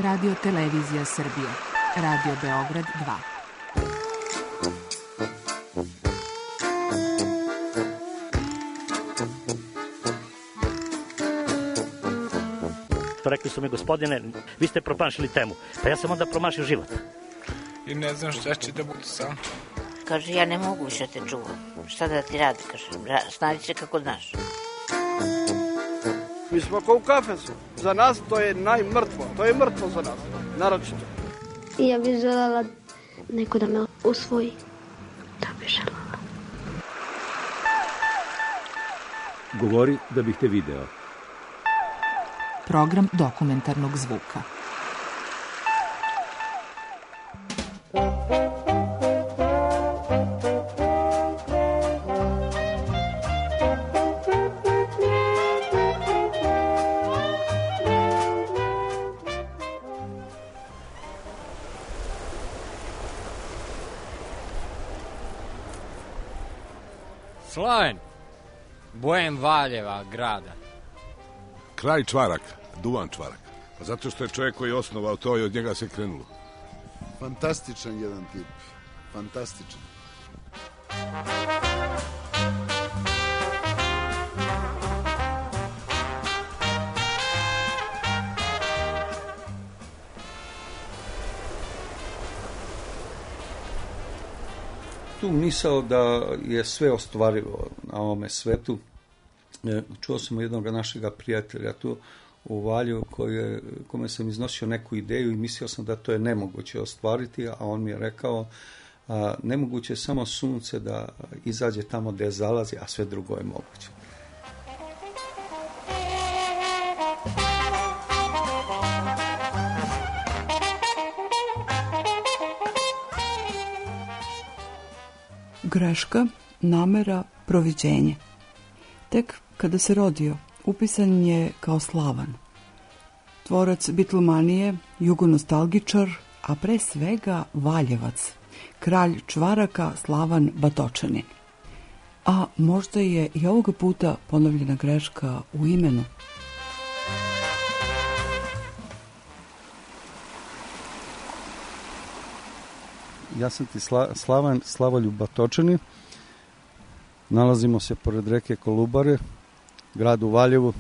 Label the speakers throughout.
Speaker 1: Radio Televizija Srbije, Radio Beograd 2.
Speaker 2: Rekli su mi, gospodine, vi ste promašili temu. Pa ja sam onda promašio život.
Speaker 3: I ne znam šta će da bude sam.
Speaker 4: Kaže, ja ne mogu više te čuvam. Šta da ti radi, kaže, snađi se kako znaš.
Speaker 5: Mi smo kao u kafesu. Za nas to je najmrtvo. To je mrtvo za nas, naročito.
Speaker 6: I ja bih željela neko da me usvoji. Da bih željela.
Speaker 7: Govori da bih te video.
Speaker 1: Program dokumentarnog zvuka.
Speaker 8: Slaven, bojem Valjeva grada.
Speaker 9: Kraj Čvarak, Duvan Čvarak. Pa zato što je čovjek koji je osnovao to i od njega se krenulo.
Speaker 10: Fantastičan jedan tip. Fantastičan.
Speaker 11: Tu misao da je sve ostvarivo na ovome svetu. Čuo sam jednog našeg prijatelja tu u Valju kome sam iznosio neku ideju i mislio sam da to je nemoguće ostvariti, a on mi je rekao nemoguće je samo sunce da izađe tamo gde zalazi, a sve drugo je moguće.
Speaker 12: Greška, namera, proviđenje. Tek kada se rodio, upisan je kao Slavan. Tvorac bitlomanije, jugonostalgičar, a pre svega Valjevac, kralj Čvaraka Slavan Batočanin. A možda je i ovoga puta ponovljena greška u imenu.
Speaker 11: Ja sam ti Slavan Slavoljub Batočanin. Nalazimo se pored reke Kolubare, gradu Valjevu.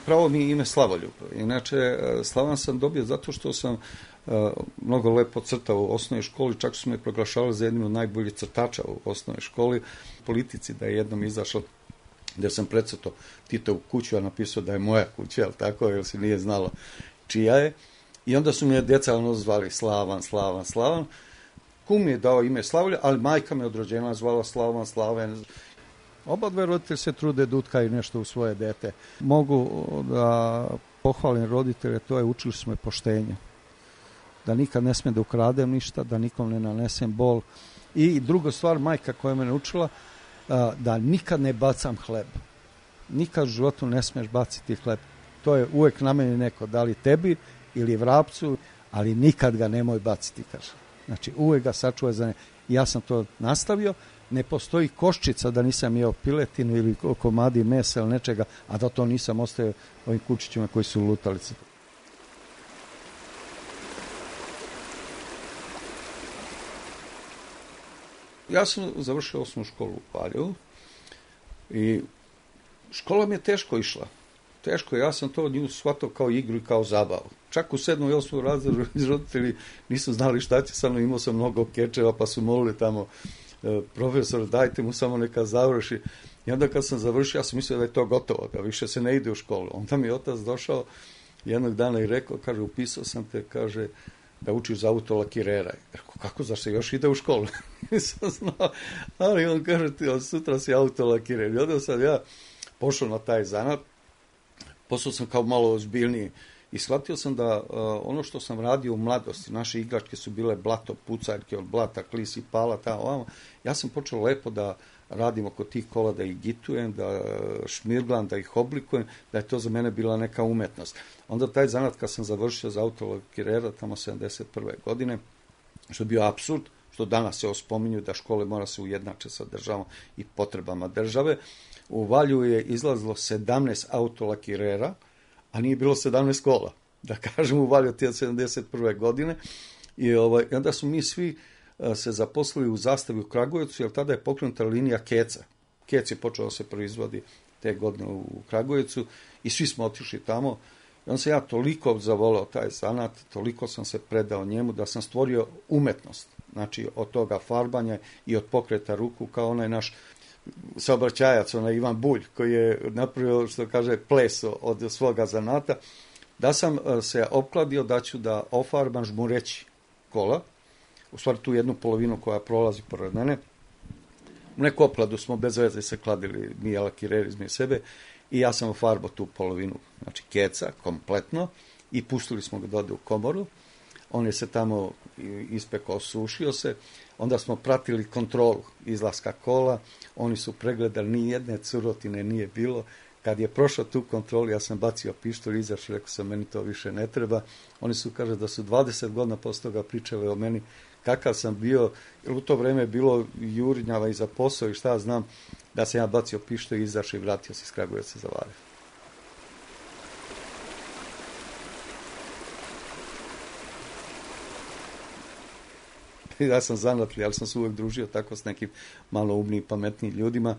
Speaker 11: Pravo mi je ime Slavoljub. Inače, Slavan sam dobio zato što sam mnogo lepo crtao u osnovnoj školi, čak su me proglašavali za jednim od najboljih crtača u osnovnoj školi. Politici da je jednom izašao gde sam precrtao Titovu kuću, a napisao da je moja kuća, ali tako, jer se nije znalo čija je. I onda su me djeca zvali Slavan. Kum mi je dao ime Slavlja, ali majka me od rođenja zvala Slaven. Oba dve roditelji se trude da utkaju nešto u svoje dete. Mogu da pohvalim roditelje, to je učili su me poštenje. Da nikad ne smem da ukradem ništa, da nikom ne nanesem bol. I druga stvar, majka koja me naučila, da nikad ne bacam hleb. Nikad u životu ne smeš baciti hleb. To je uvek na meni neko, da li tebi ili vrapcu, ali nikad ga nemoj baciti, kaže. Znači, uvek ga sačuvaj za ne. Ja sam to nastavio, ne postoji koščica da nisam jeo piletinu ili komadi mesa ili nečega, a da to nisam ostavio ovim kučićima koji su lutalice. Ja sam završio osnovnu školu u Valjevu i škola mi je teško išla. Teško, ja sam to nju shvatao kao igru i kao zabavu. Čak u 7. i 8. razredu roditelji nisu znali šta će sa mnom, imao sam mnogo kečeva, pa su molili tamo profesor, dajte mu samo neka završi. I onda kad sam završio, ja sam mislio da je to gotovo, da više se ne ide u školu. Onda mi je otac došao jednog dana i rekao, kaže, upisao sam te, kaže, da učiš za autolakirera. Rekao, kako, zašto se još ide u školu? Nisam znao, ali on kaže, ti od sutra si autolakirer. I onda sam ja pošao na taj zanat, postao sam kao malo ozbiljniji i shvatio sam da ono što sam radio u mladosti, naše igračke su bile blato, pucaljke od blata, klisi, pala, tamo, ovamo. Ja sam počeo lepo da radim oko tih kola, da ih gitujem, da šmirglam, da ih oblikujem, da je to za mene bila neka umetnost. Onda taj zanat kad sam završio za autolakirera, tamo 71. godine, što je bio apsurd, što danas se ospominju da škole mora se ujednače sa državom i potrebama države. U Valju je izlazilo 17 autolakirera, a nije bilo 17 kola, da kažem, u Valju te 71. godine. I onda su mi svi se zaposlili u Zastavi u Kragujevcu, jer tada je pokrenuta linija Keca. Kec je počeo da se proizvodi te godine u Kragujevcu i svi smo otišli tamo. I onda sam ja toliko zavoleo taj zanat, toliko sam se predao njemu da sam stvorio umetnost. Znači, od toga farbanja i od pokreta ruku, kao onaj naš saobraćajac, onaj Ivan Bulj, koji je napravio, što kaže, ples od svoga zanata, da sam se opkladio da ću da ofarbam žmureći kola, u stvari tu jednu polovinu koja prolazi pored mene. U neku opladu smo bez veze se kladili, mi lakireri između sebe, i ja sam ofarbao tu polovinu, znači keca, kompletno, i pustili smo ga da ode u komoru. On je se tamo ispekao, sušio se, onda smo pratili kontrolu izlaska kola, oni su pregledali, ni jedne curotine nije bilo. Kad je prošao tu kontrolu, ja sam bacio pištolj, izašao, rekao sam, meni to više ne treba. Oni su, kaže, da su 20 godina posle toga pričali o meni, kakav sam bio, jer u to vreme je bilo jurinjava i za posao i šta znam, da sam ja bacio pištolj, izašao i vratio se iz Kragujevca za Valjevo. Ja sam zanatljiv, ali sam se uvek družio tako s nekim malo umnijim, pametnijim ljudima.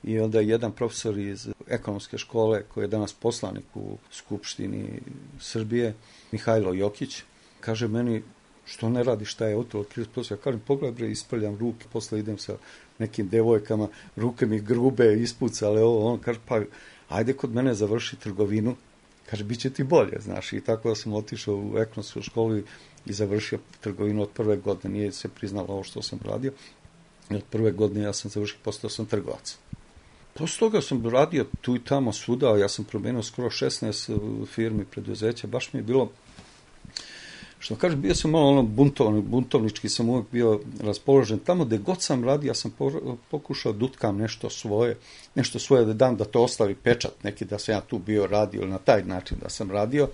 Speaker 11: I onda jedan profesor iz ekonomske škole, koji je danas poslanik u Skupštini Srbije, Mihajlo Jokić, kaže meni, što ne radi, šta je otolo 30%? Ja kažem, pogledaj bre, ispravljam ruke, posle idem sa nekim devojkama, ruke mi grube, ispucale ovo, on kaže, pa ajde kod mene završi trgovinu, kaže, bit će ti bolje, znaš, i tako da sam otišao u ekonomsku školu i završio trgovinu od prve godine, nije se priznalo ovo što sam radio, i od prve godine ja sam završio, postao sam trgovac. Posle toga sam radio tu i tamo svuda, ja sam promenio skoro 16 firmi, preduzeća, baš mi je bilo, što kažem, bio sam malo buntovnički sam uvijek bio raspoložen. Tamo gde god sam radio, ja sam pokušao da utkam nešto svoje da dam, da to ostavi pečat, neki da sam ja tu bio radio, ili na taj način da sam radio.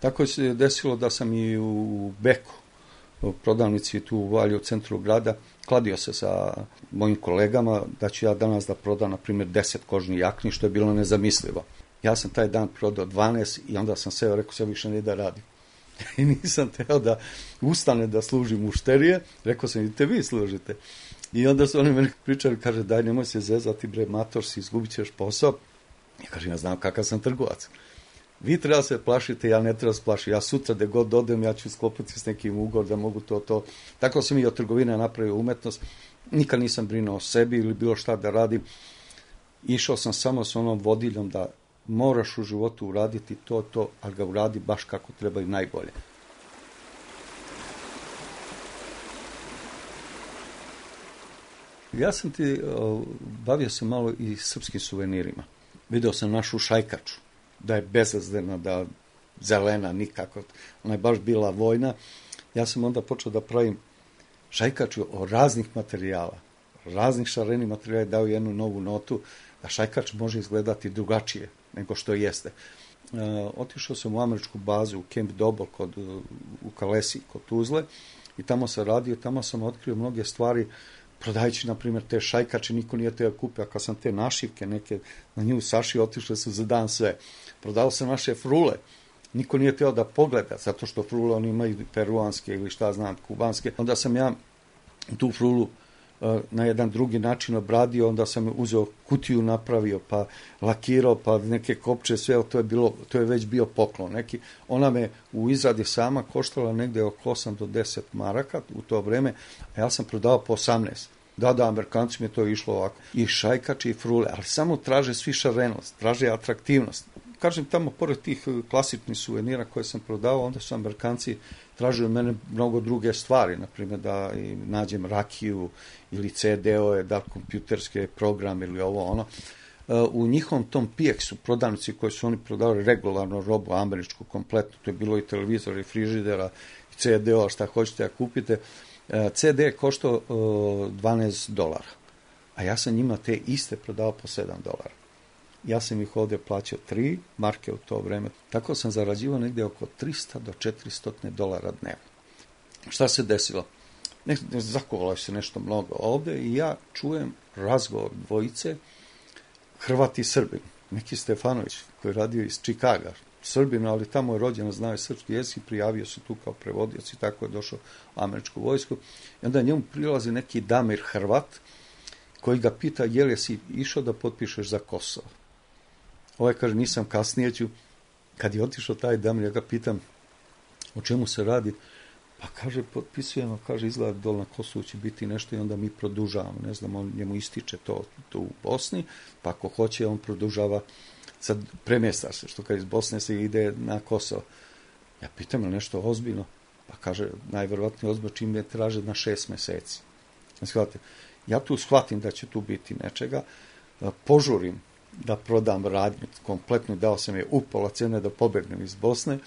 Speaker 11: Tako se desilo da sam i u Beku, u prodavnici tu u Valju, u centru grada, kladio se sa mojim kolegama da ću ja danas da prodam, na primjer, 10 kožnih jakni, što je bilo nezamislivo. Ja sam taj dan prodao 12 i onda sam seo, rekao se više ne da radim. I nisam teo da ustane da služim mušterije, rekao sam, idite vi služite. I onda su oni meni pričali, kaže, daj, nemoj se zezati, bre, mator si, izgubit ćeš posao. Ja kažem, ja znam kakav sam trgovac. Vi treba se plašite, ja ne treba se plašiti. Ja sutra da god odem, ja ću sklopiti s nekim ugovor da mogu to. Tako sam i od trgovine napravio umetnost. Nikad nisam brinuo o sebi ili bilo šta da radim. Išao sam samo s onom vodiljom da moraš u životu uraditi to, ali ga uradi baš kako treba i najbolje. Ja sam bavio se malo i srpskim suvenirima. Video sam našu šajkaču, da je bezazdena, da zelena nikako, ona je baš bila vojna. Ja sam onda počeo da pravim šajkaču o raznih materijala, raznih šarenih materijala, dao jednu novu notu, da šajkač može izgledati drugačije nego što jeste. Otišao sam u američku bazu, u Camp Dobol, u Kalesi, kod Tuzle, i tamo sam radio, tamo sam otkrio mnoge stvari, prodajući, na primjer, te šajkače, niko nije teo kupio, a kad sam te našivke neke na nju sašio, otišle su za dan sve. Prodao sam naše frule, niko nije teo da pogleda, zato što frule oni imaju peruanske ili šta znam, kubanske. Onda sam ja tu frulu na jedan drugi način obradio, onda sam uzeo kutiju, napravio, pa lakirao, pa neke kopče, sve, to je već bio poklon neki. Ona me u izradi sama koštala negde oko 8 do 10 maraka u to vreme, a ja sam prodao po 18. Da, Amerikanci mi je to išlo ovako. I šajkače i frule, ali samo traže svi šarenost, traže atraktivnost. Kažem, tamo, pored tih klasičnih suvenira koje sam prodao, onda su Amerikanci tražili od mene mnogo druge stvari, na primjer da nađem rakiju ili CD-ove, da kompjuterske programe ili ovo ono. U njihovom tom PX-u, prodavnici koji su oni prodavali regularno robu američku kompletnu, to je bilo i televizora, i frižidera, i CD-ova, šta hoćete da kupite, CD je koštao $12, a ja sam njima te iste prodao po $7. Ja sam ih ovdje plaćao 3 marke u to vreme. Tako sam zarađivao negdje oko $300 do $400 dnevno. Šta se desilo? Zakovalo se nešto mnogo ovdje i ja čujem razgovor dvojice, Hrvat i Srbin. Neki Stefanović, koji je radio iz Čikaga, Srbin, ali tamo je rođena, znao je srpski jezik, prijavio se tu kao prevodioc i tako je došao u američku vojsku. I onda njemu prilazi neki Damir Hrvat, koji ga pita, je li si išao da potpišeš za Kosovo? Ovaj kaže, nisam, kasnije ću. Kad je otišao taj Damir, ja ga pitam, o čemu se radi? Pa kaže, potpisujemo, kaže, izgleda dol na Kosovu će biti nešto i onda mi produžavamo. Ne znam, on njemu ističe to u Bosni, pa ako hoće, on produžava, sad premjesta se, što kad iz Bosne se ide na Kosovo. Ja pitam, je nešto ozbiljno? Pa kaže, najverovatnije ozbiljno čim me traže na 6 meseci. Shvatite, ja tu shvatim da će tu biti nečega, požurim da prodam radnju kompletno, dao sam je upola cene da pobegnem iz Bosne,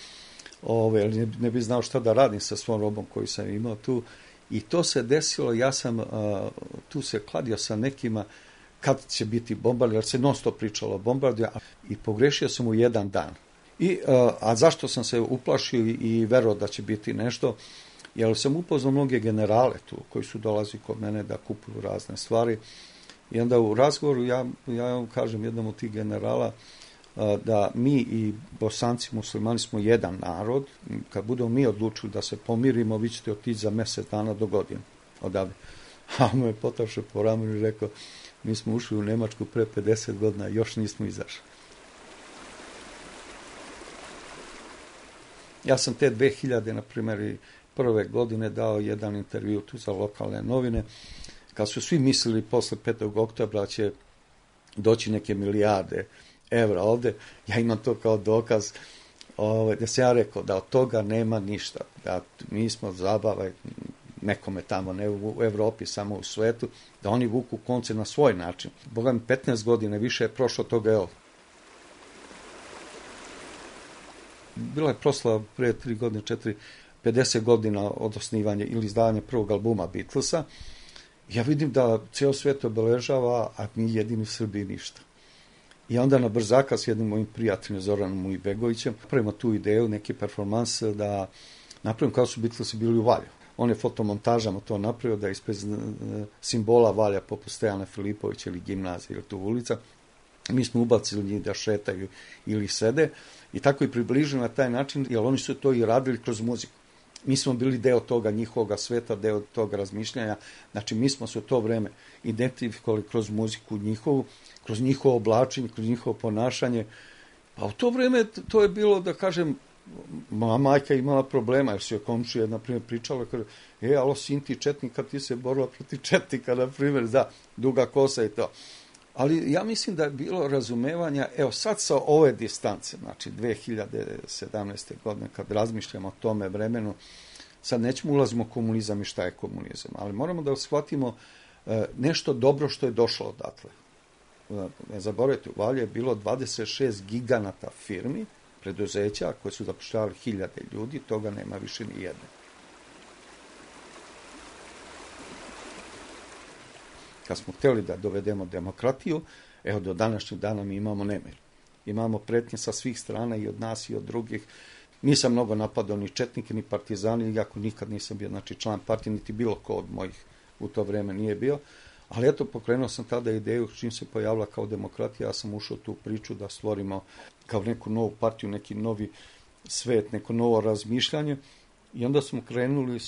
Speaker 11: ne bi znao šta da radim sa svom robom koju sam imao tu. I to se desilo, ja sam tu se kladio sa nekima kad će biti bombardija, jer se non stop pričalo o bombardiju i pogrešio sam u jedan dan. A zašto sam se uplašio i verovao da će biti nešto? Jer sam upoznao mnoge generale tu koji su dolazili kod mene da kupuju razne stvari. I onda u razgovoru ja kažem jednom od tih generala da mi i Bosanci muslimani smo jedan narod. Kad budemo mi odlučili da se pomirimo, vi ćete otići za mjesec dana do godine odavde. A on me je potapšao po ramenu i rekao, mi smo ušli u Nemačku pre 50 godina, još nismo izašli. Ja sam te 2000, na primjer, prve godine dao jedan intervju tu za lokalne novine, kad su svi mislili posle 5. oktobra će doći neke milijarde evra ovde, ja imam to kao dokaz, da sam ja rekao da od toga nema ništa, da mi smo zabava nekome tamo, ne u Evropi, samo u svetu, da oni vuku konce na svoj način. Boga mi 15 godina više je prošlo toga, evo. Bila je proslava pre 3 godine, 50 godina od osnivanja ili izdavanja prvog albuma Beatlesa. Ja vidim da cijel svijet obeležava, a mi jedini Srbi ništa. I onda na brzaka s jednim mojim prijateljem Zoranom Ujbegovićem pravimo tu ideju, neki performans da napravim kao su Beatlesi bili u Valju. On je fotomontažama to napravio da ispred simbola Valja poput Stojana Filipovića ili gimnazija ili tu ulica. Mi smo ubacili njih da šetaju ili sede i tako i približili na taj način, jer oni su to i radili kroz muziku. Mi smo bili deo toga njihovog sveta, deo toga razmišljanja. Znači, mi smo se u to vreme identifikovali kroz muziku njihovu, kroz njihovo oblačenje, kroz njihovo ponašanje. A u to vreme to je bilo, da kažem, moja majka imala problema, jer su joj komšija, na primjer, pričala, kaže, alo, sin ti četnika, ti se borila protiv četnika, na primjer, da, duga kosa i to. Ali ja mislim da je bilo razumevanja, evo sad sa ove distance, znači 2017. godine, kad razmišljamo o tome vremenu, sad nećemo ulazimo u komunizam i šta je komunizam, ali moramo da shvatimo nešto dobro što je došlo odatle. Ne zaboravite, u Valju je bilo 26 giganata firmi, preduzeća koje su zapošljavali 1000 ljudi, toga nema više ni jedne. Kad smo htjeli da dovedemo demokratiju, evo do današnjeg dana mi imamo nemir. Imamo pretnje sa svih strana i od nas i od drugih. Nisam mnogo napadao ni četnike, ni partizani, iako nikad nisam bio član partije, niti bilo ko od mojih u to vreme nije bio. Ali eto, pokrenuo sam tada ideju, čim se pojavila kao demokratija, ja sam ušao u tu priču da stvorimo kao neku novu partiju, neki novi svet, neko novo razmišljanje. I onda smo krenuli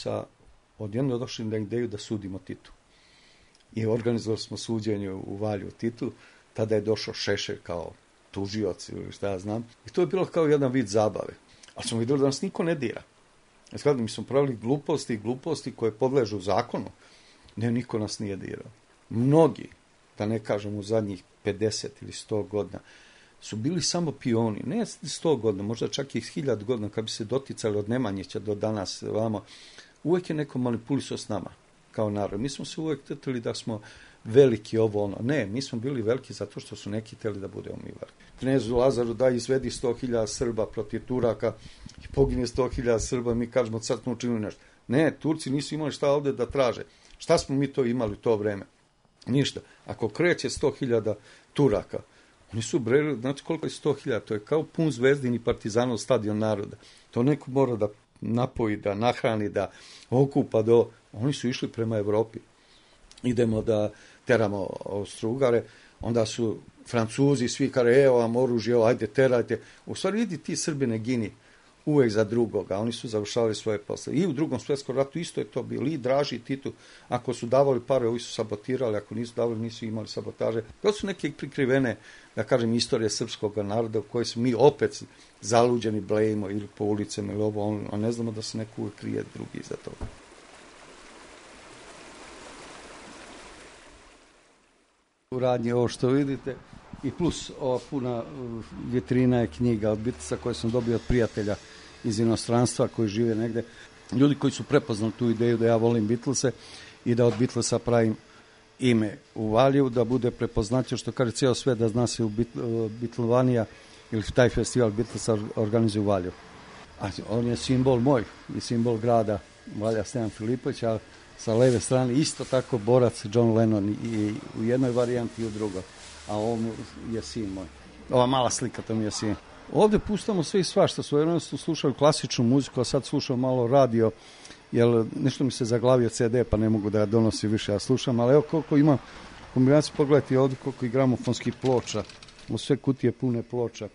Speaker 11: odjedno došli na ideju da sudimo Titu. I organizovali smo suđenje u Valju Titu, tada je došao Šešelj kao tužioc ili šta ja znam. I to je bilo kao jedan vid zabave. Ali smo vidjeli da nas niko ne dira. Mi smo pravili gluposti koje podležu zakonu. Ne, niko nas nije dirao. Mnogi, da ne kažem u zadnjih 50 ili 100 godina, su bili samo pioni. Ne 100 godina, možda čak i 1000 godina, kad bi se doticali od Nemanjića do danas vamo, uvijek je neko manipulisao s nama kao narod. Mi smo se uvijek tetili da smo veliki ovo ono. Ne, mi smo bili veliki zato što su neki htjeli da budemo mi veliki. Knezu Lazaru da izvedi 100.000 Srba protiv Turaka i pogine 100.000 Srba, mi kažemo sad smo učinili nešto. Ne, Turci nisu imali šta ovdje da traže. Šta smo mi to imali u to vreme? Ništa. Ako kreće 100.000 Turaka, oni su breli, znači koliko je 100.000, to je kao pun Zvezdin i Partizanov stadion naroda. To neko mora da napoji, da nahrani, da okupa Oni su išli prema Evropi. Idemo da teramo Austro-Ugare. onda su Francuzi svi kare, evo vam oružje, ajde terajte. U stvari vidi ti Srbi ne gini uvek za drugoga, oni su završavali svoje posle. I u Drugom svjetskom ratu isto je to bilo, i Draži i Titu, ako su davali pare, ovi su sabotirali, ako nisu davali, nisu imali sabotaže. To su neke prikrivene, da kažem, istorije srpskog naroda u kojoj su mi opet zaluđeni blejimo ili po ulicama ili ovo, a ne znamo da se neko uvek krije drugi iza toga. U radnji ovo što vidite i plus ova puna vitrina je knjiga od Beatlesa koje sam dobio od prijatelja iz inostranstva koji žive negde. Ljudi koji su prepoznali tu ideju da ja volim Beatlese i da od Beatlesa pravim ime u Valjevu, da bude prepoznatljivo, što kaže cijelo sve da zna se u Beatlovanija ili taj festival Beatlesa organizuje u Valjevu. A on je simbol moj i simbol grada Valja Stevan Filipović, a sa leve strane isto tako borac John Lennon i u jednoj varijanti i u drugoj. A ovo je sin moj. Ova mala slika, to mi je sin. Ovde pustamo sve i svašta. Svojevremeno su slušali klasičnu muziku, a sad slušam malo radio, jer nešto mi se zaglavio CD, pa ne mogu da ga donosim više, ja slušam, ali evo koliko imam kombinaciju, pogledajte ovdje koliko i gramofonskih ploča, u sve kutije pune ploča.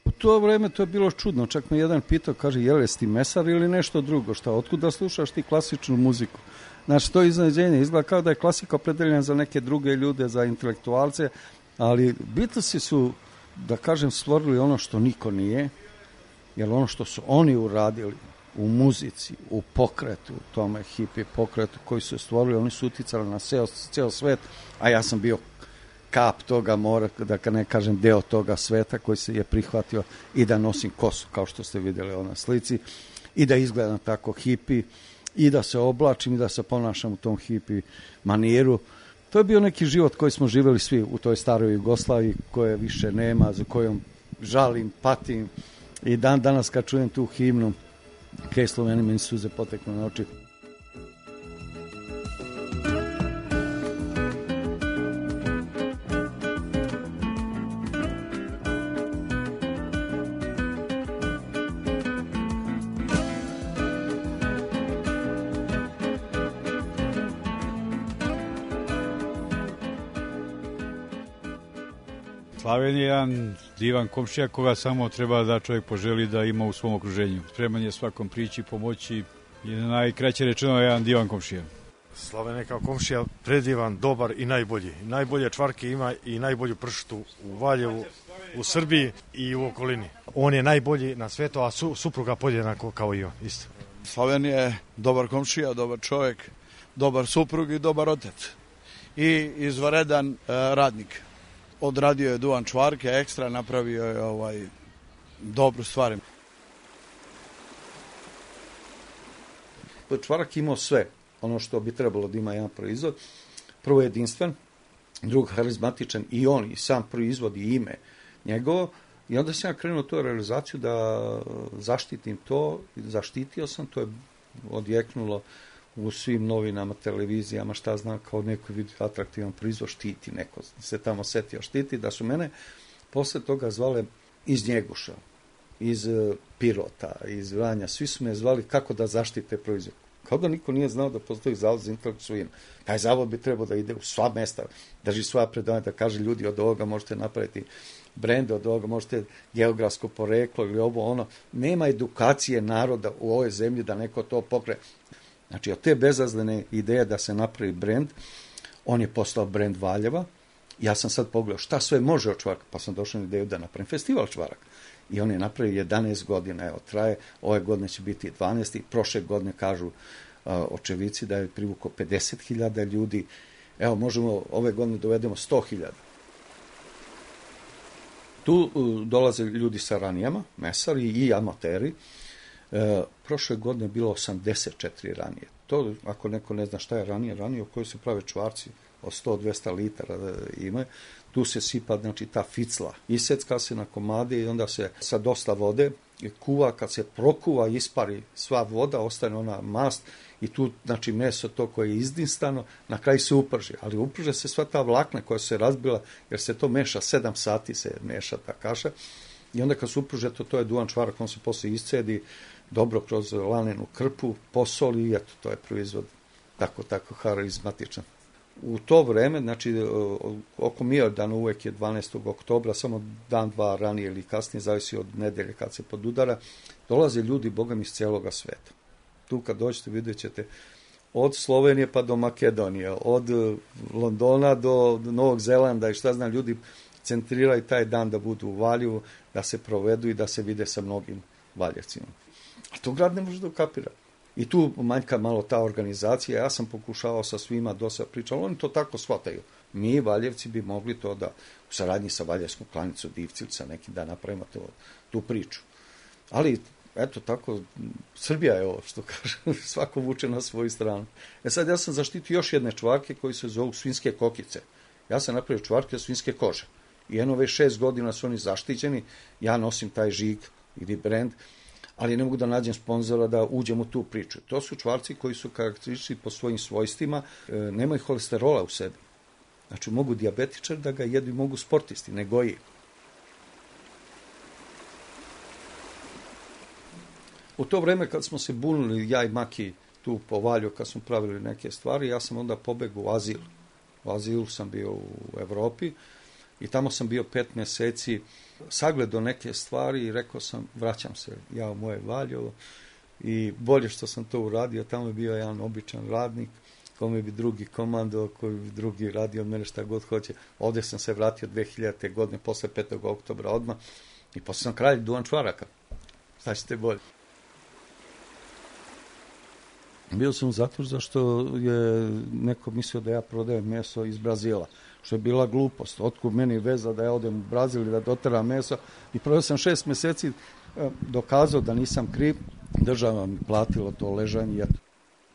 Speaker 11: U to vreme to je bilo čudno, čak me jedan pitao, kaže, jesi ti mesar ili nešto drugo, šta, otkud da slušaš ti klasičnu muziku? Znači, to iznenađenje izgleda kao da je klasika opredeljena za neke druge ljude, za intelektualce, ali Beatlesi su, da kažem, stvorili ono što niko nije, jer ono što su oni uradili u muzici, u pokretu, tome hippie pokretu koji su stvorili, oni su uticali na ceo svet, a ja sam bio kap toga mora, da ne kažem deo toga sveta koji se je prihvatio i da nosim kosu, kao što ste vidjeli na slici, i da izgledam tako hippie, i da se oblačim i da se ponašam u tom hippie maniru. To je bio neki život koji smo živjeli svi u toj staroj Jugoslaviji, koje više nema, za kojom žalim, patim, i danas kad čujem tu himnu, Kaj Sloveni, meni suze poteknu na oči.
Speaker 13: Slaven je jedan divan komšija koga samo treba da čovjek poželi da ima u svom okruženju. Spreman je svakom prići, pomoći i najkraće rečeno je jedan divan komšija.
Speaker 14: Slaven je kao komšija predivan, dobar i najbolji. Najbolje čvarke ima i najbolju pršutu u Valjevu, u Srbiji i u okolini. On je najbolji na svetu, a supruga podjednako kao i on, isto.
Speaker 5: Slaven je dobar komšija, dobar čovjek, dobar suprug i dobar otac. I izvanredan radnik. Odradio je duvan čvarke, ekstra, napravio je dobru stvar.
Speaker 11: Čvarak imao sve, ono što bi trebalo da ima jedan proizvod. Prvo jedinstven, drugo harizmatičan i on i sam proizvod i ime njegovo. I onda sam ja krenuo tu realizaciju da zaštitim to, zaštitio sam, to je odjeknulo u svim novinama, televizijama, šta znam, kao neko vidi atraktivan proizvod, štiti, neko se tamo setio štiti, da su mene posle toga zvale iz Njeguša, iz Pirota, iz Vranja, svi su me zvali kako da zaštite proizvod. Kao da niko nije znao da postoji zavod za intelektualnu svojinu. Taj zavod bi trebao da ide u sva mesta, drži svoja predavanja, da kaže ljudi od ovoga možete napraviti brende, od ovoga možete geografsko poreklo ili ovo ono. Nema edukacije naroda u ovoj zemlji da neko to pokre. Znači, od te bezazlene ideje da se napravi brend, on je postao brend Valjeva. Ja sam sad pogledao šta sve može od čvaraka, pa sam došao na ideju da napravim festival čvaraka. I on je napravio 11 godina, evo, traje, ove godine će biti 12. Prošle godine, kažu očevici, da je privukao 50.000 ljudi. Evo, možemo ove godine dovedemo 100.000. Tu dolaze ljudi sa ranijama, mesari i amateri. Prošle godine je bilo 84 ranije. To, ako neko ne zna šta je ranije u kojoj se prave čvarci od 100-200 litara ima, tu se sipa, znači, ta ficla. Isecka se na komade i onda se sa dosta vode kuva, kad se prokuva, ispari sva voda, ostane ona mast i tu, znači, meso to koje je izdinstano, na kraju se uprži. Ali uprže se sva ta vlakna koja se razbila, jer se to meša, 7 sati se meša ta kaša. I onda kad se upruže to je duvan čvarak, on se posle iscedi dobro kroz lanenu krpu, posoli i eto, to je proizvod tako harizmatičan. U to vreme, znači oko Miordana uvek je 12. oktobra, samo dan, dva ranije ili kasnije, zavisi od nedelje kad se podudara, dolaze ljudi, bogami, iz cijeloga sveta. Tu kad dođete vidjet ćete od Slovenije pa do Makedonije, od Londona do Novog Zelanda i šta znam, ljudi centriraju taj dan da budu u Valjevu, da se provedu i da se vide sa mnogim Valjevcima. A to grad ne može da ukapira. I tu manjka malo ta organizacija, ja sam pokušavao sa svima dosta pričati, oni to tako shvataju. Mi, Valjevci, bi mogli to da u saradnji sa Valjevskom klanicom Divcilca nekim da napravimo tu priču. Ali, eto tako, Srbija je ovo, što kaže, svako vuče na svoju stranu. Sad ja sam zaštitio još jedne čvarke koji se zovu svinjske kokice. Ja sam napravio čvarke od svinjske kože. I jedno već 6 godina su oni zaštićeni, ja nosim taj žig ili brend, ali ne mogu da nađem sponzora da uđem u tu priču. To su čvarci koji su karakteristični po svojim svojstvima, nemaju holesterola u sebi. Znači mogu dijabetičar da ga jedu i mogu sportisti, ne goji. U to vreme kad smo se bunili, ja i Maki tu po Valju, kad smo pravili neke stvari, ja sam onda pobegao u azil. U azilu sam bio u Evropi i tamo sam bio 5 mjeseci, sagledao neke stvari i rekao sam, vraćam se ja u moje Valjevo i bolje što sam to uradio, tamo je bio jedan običan radnik, kome bi drugi komando, koji bi drugi radio od mene šta god hoće. Ovdje sam se vratio 2000. godine, posle 5. oktobra odmah i posle sam kralj Duvan Čvaraka. Šta ćete bolje? Bio sam u zatvoru zašto je neko mislio da ja prodajem meso iz Brazila, što je bila glupost. Otkud meni veza da ja odem u Brazil i da doteram meso. I proveo sam 6 mjeseci, dokazao da nisam kriv, država mi platila to ležanje.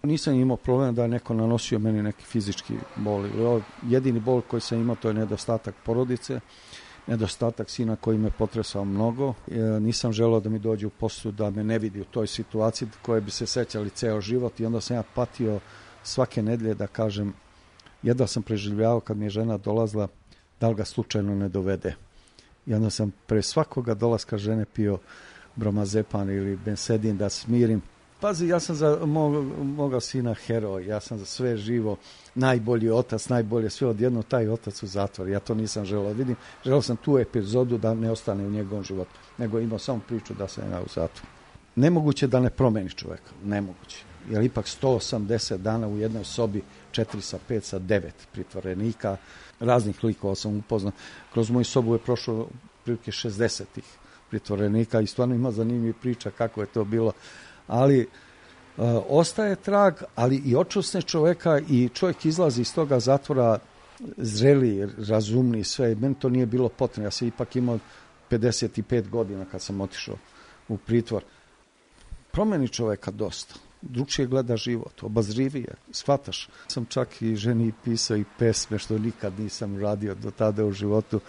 Speaker 11: Nisam imao problem da je neko nanosio meni neki fizički bol. Jedini bol koji sam imao to je nedostatak porodice, nedostatak sina koji me potresao mnogo. Nisam želeo da mi dođe u poslu, da me ne vidi u toj situaciji koje bi se sećali ceo život i onda sam ja patio svake nedelje da kažem, jedva sam preživljavao kad mi je žena dolazila, da li ga slučajno ne dovede. I onda sam pre svakoga dolaska žene pio bromazepan ili bensedin da smirim. Pazi, ja sam za moga sina heroj, ja sam za sve živo, najbolji otac, najbolje sve, odjedno taj otac u zatvor. Ja to nisam želeo vidim. Želeo sam tu epizodu da ne ostane u njegovom životu, nego imao samo priču da sam ja u zatvoru. Nemoguće da ne promeni čovjeka, nemoguće. Jer ipak 180 dana u jednoj sobi, 4 sa 5 sa 9 pritvorenika, raznih likova sam upoznao. Kroz moju sobu je prošlo prilike 60 pritvorenika i stvarno ima zanimljivih priča kako je to bilo. Ali ostaje trag, ali i očusne čovjeka i čovjek izlazi iz toga zatvora zreli, razumni, sve. Meni to nije bilo potrebno. Ja sam ipak imao 55 godina kad sam otišao u pritvor. Promeni čovjeka dosta. Drugčije gleda život, obazrivije, shvataš. Sam čak i ženi pisao i pesme, što nikad nisam radio do tada u životu.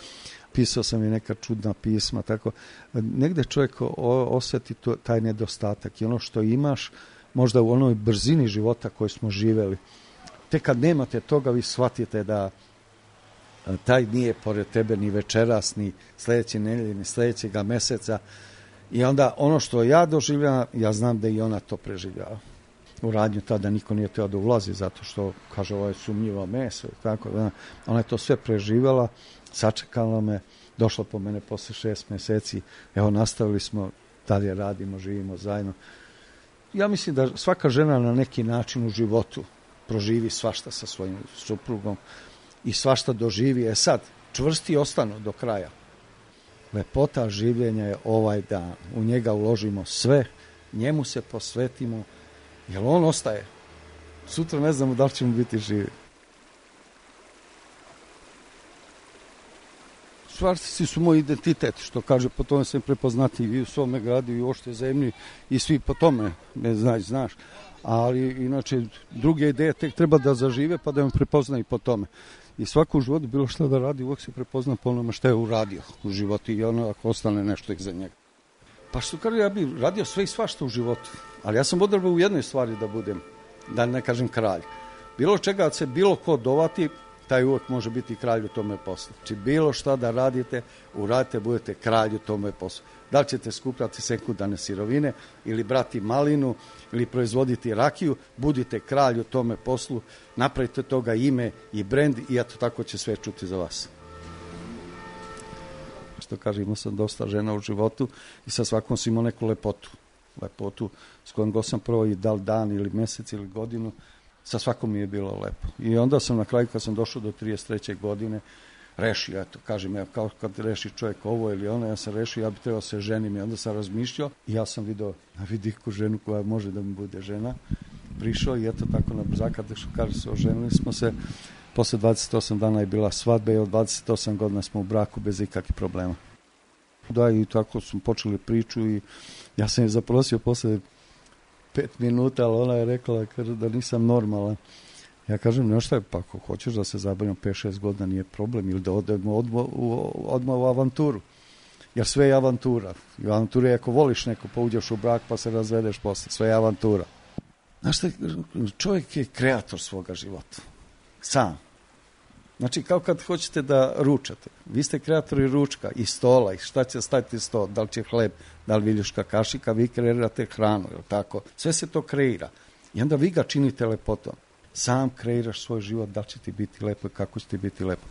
Speaker 11: Pisao sam i neka čudna pisma, tako. Negde čovjek osjeti taj nedostatak i ono što imaš, možda u onoj brzini života koju smo živeli. Tek kad nemate toga, vi shvatite da taj nije pored tebe ni večeras, ni sljedeće nedelje, ni sljedećega meseca. I onda ono što ja doživljavam, ja znam da i ona to preživljava. U radnju tada niko nije teo da ulazi zato što, kaže, ovo je sumnjivo meso. Tako, ona je to sve preživjela, sačekala me, došla po mene posle 6 mjeseci. Evo, nastavili smo, dalje radimo, živimo zajedno. Ja mislim da svaka žena na neki način u životu proživi svašta sa svojim suprugom i svašta doživi. Sad, čvrsti ostanu do kraja. Lepota življenja je ovaj dan. U njega uložimo sve, njemu se posvetimo, jer on ostaje. Sutra ne znamo da li ćemo biti živi. Čvarci su moj identitet, što kaže, po tome sam prepoznati i u svome gradu i u ošte zemlji i svi po tome, ne znaš. Ali inače, druge ideje tek treba da zažive pa da me prepoznaju po tome. I svako u životu, bilo što da radi, uvijek se prepozna po onome što je uradio u životu i ono ako ostane nešto iza njega. Pa što kaže, ja bih radio sve i svašta u životu, ali ja sam odrebao u jednoj stvari da budem, da ne kažem kralj. Bilo čega se bilo ko dovati, taj uvek može biti kralj u tome poslu. Znači bilo šta da radite, uradite, budete kralj u tome poslu. Da li ćete skupljati sekundarne sirovine ili brati malinu ili proizvoditi rakiju, budite kralj u tome poslu, napravite toga ime i brend i eto tako će sve čuti za vas. Što kažem, imao sam dosta žena u životu i sa svakom sam imao neku lepotu s kojom god sam prvo i dal dan ili mesec ili godinu, sa svakom mi je bilo lepo. I onda sam na kraju, kad sam došao do 33. godine, rešio, eto, kažem, evo, kao kad reši čovjek ovo ili ono, ja sam rešio, ja bi trebao se ženim i onda sam razmišljao i ja sam video na vidiku ženu koja može da mi bude žena. Prišao i eto tako na brzaka, što kaže se, oženili smo se, posle 28 dana je bila svadba i od 28 godina smo u braku bez ikakvih problema. Da, i tako smo počeli priču i ja sam je zaprosio posle 5 minuta, ali ona je rekla da nisam normalan. Ja kažem, no šta je, pa ako hoćeš da se zabavimo 5-6 godina, nije problem, ili da odemo odmah u avanturu. Jer sve je avantura. I avantura je ako voliš neko, pa uđeš u brak, pa se razvedeš posle. Sve je avantura. Znaš šta, čovjek je kreator svoga života. Sam. Znači, kao kad hoćete da ručate. Vi ste kreatori ručka i stola i šta će staviti sto, da li će hleb, da li viljuška kašika, vi kreirate hranu, je tako? Sve se to kreira. I onda vi ga činite lepotom. Sam kreiraš svoj život, da li će ti biti lepo i kako će ti biti lepo.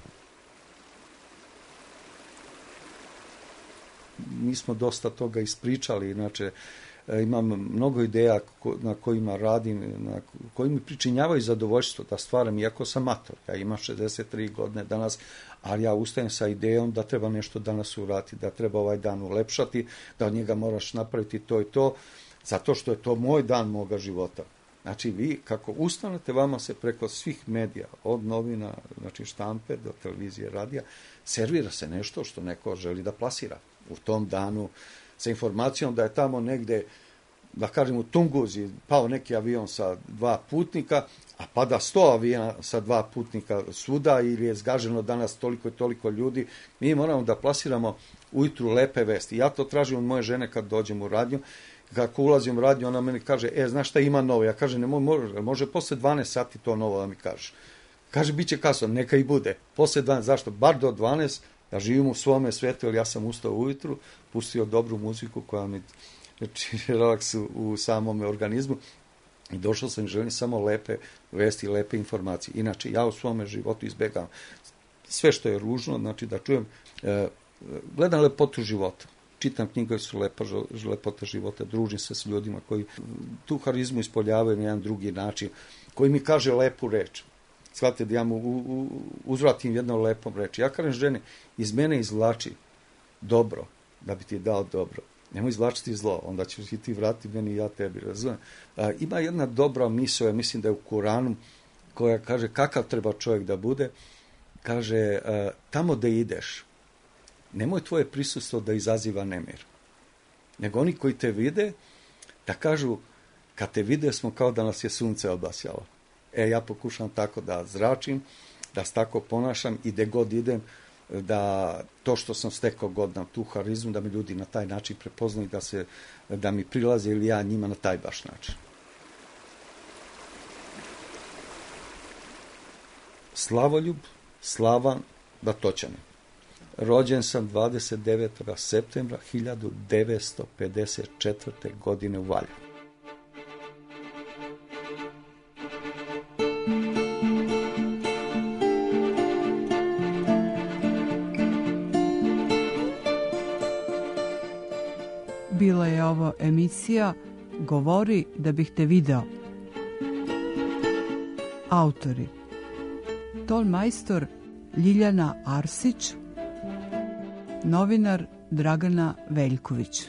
Speaker 11: Mi smo dosta toga ispričali, inače imam mnogo ideja na kojima radim, koji mi pričinjavaju zadovoljstvo da stvaram, iako sam mator. Ja imam 63 godine danas, ali ja ustajem sa idejom da treba nešto danas uraditi, da treba ovaj dan ulepšati, da od njega moraš napraviti to i to, zato što je to moj dan moga života. Znači vi, kako ustanete, vama se preko svih medija, od novina, znači štampe, do televizije, radija, servira se nešto što neko želi da plasira u tom danu, sa informacijom da je tamo negde, da kažem u Tunguzi, pao neki avion sa 2 putnika, a pada 100 aviona sa 2 putnika svuda, ili je zgaženo danas toliko i toliko ljudi. Mi moramo da plasiramo ujutru lepe vesti. Ja to tražim od moje žene kad dođem u radnju. Kako ulazim u radnju, ona meni kaže, znaš šta ima novo? Ja kažem, može posle 12 sati to novo da mi kažeš. Kaže, bit će kasno, neka i bude. Posle 12, zašto? Bar do 12, ja živim u svome svetu, jer ja sam ustao ujutru, pustio dobru muziku koja mi čini relaks u samom organizmu i došao sam i želim samo lepe vesti, lepe informacije. Inače, ja u svome životu izbegavam sve što je ružno, znači da čujem, gledam lepotu života. Čitam knjige, su lepota života, družim se s ljudima koji tu harizmu ispoljavaju na jedan drugi način, koji mi kaže lepu reč. Shvatite da ja mu uzvratim jednom lepom reči. Ja kažem ženi, iz mene izvlači dobro, da bi ti dao dobro. Nemoj izvlačiti zlo, onda ćeš i ti vratiti meni i ja tebi, razumem. Ima jedna dobra misao, ja mislim da je u Kuranu, koja kaže kakav treba čovjek da bude. Kaže, tamo da ideš, nemoj tvoje prisustvo da izaziva nemir. Nego oni koji te vide, da kažu, kad te vide smo kao da nas je sunce obasjalo. Ja pokušam tako da zračim, da se tako ponašam i gde god idem, da to što sam stekao godina, tu harizmu, da mi ljudi na taj način prepoznaju, da mi prilaze ili ja njima na taj baš način. Slavoljub Slavan Batočanin. Rođen sam 29. septembra 1954. godine u Valjevu.
Speaker 12: Bila je ovo emisija Govori da bih te video. Autori: tonmajstor Ljiljana Arsić, novinar Dragana Veljković.